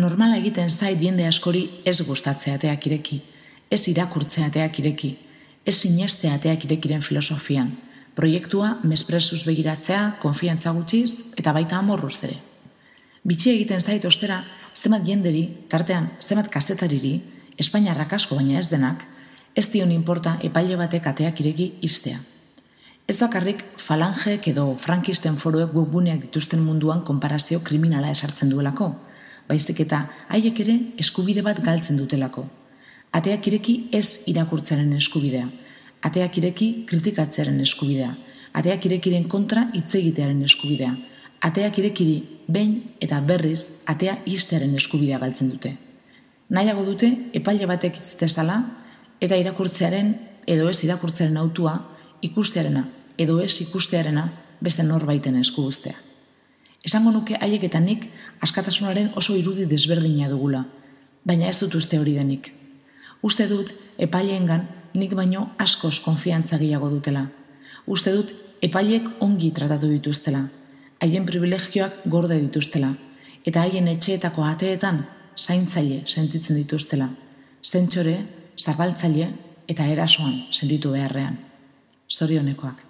Normala egiten zait jende askori ez gustatzea ateak ireki, ez irakurtzea ateak ireki, ez sinestea ateak irekiren filosofian, proiektua mespresuz begiratzea, konfiantza gutxiz eta baita amorruz ere. Bitxi egiten zait ostera, zenbat jenderi, tartean zenbat kazetariri, Espainiarrak asko baina ez denak, ez dion inporta epaile batek ateak ireki iztea. Ez bakarrik falangeek edo frankisten foruek webguneak dituzten munduan konparazio kriminala esartzen duelako, baizik eta haiek ere eskubide bat galtzen dutelako. Ateak ireki ez irakurtzaren eskubidea, ateak ireki kritikatzearen eskubidea, ateak irekiren kontra hitz egitearen eskubidea, ateak irekiri behin eta berriz atea ixtearen eskubidea galtzen dute. Nahiago dute epaile batek hitz dezala eta irakurtzearen edo ez irakurtzearen hautua ikustearena edo ez ikustearena beste norbaiten esku uztea. Esango nuke haiek eta nik askatasunaren oso irudi desberdina dugula, baina ez dut uste hori denik. Uste dut epaileengan nik baino askoz konfiantza gehiago dutela. Uste dut epaileek ongi tratatu dituztela, haien privilegioak gorde dituztela, eta haien etxeetako ateetan zaintzaile sentitzen dituztela, zentsore, zabaltzaile eta erasoan sentitu beharrean. Zorionekoak.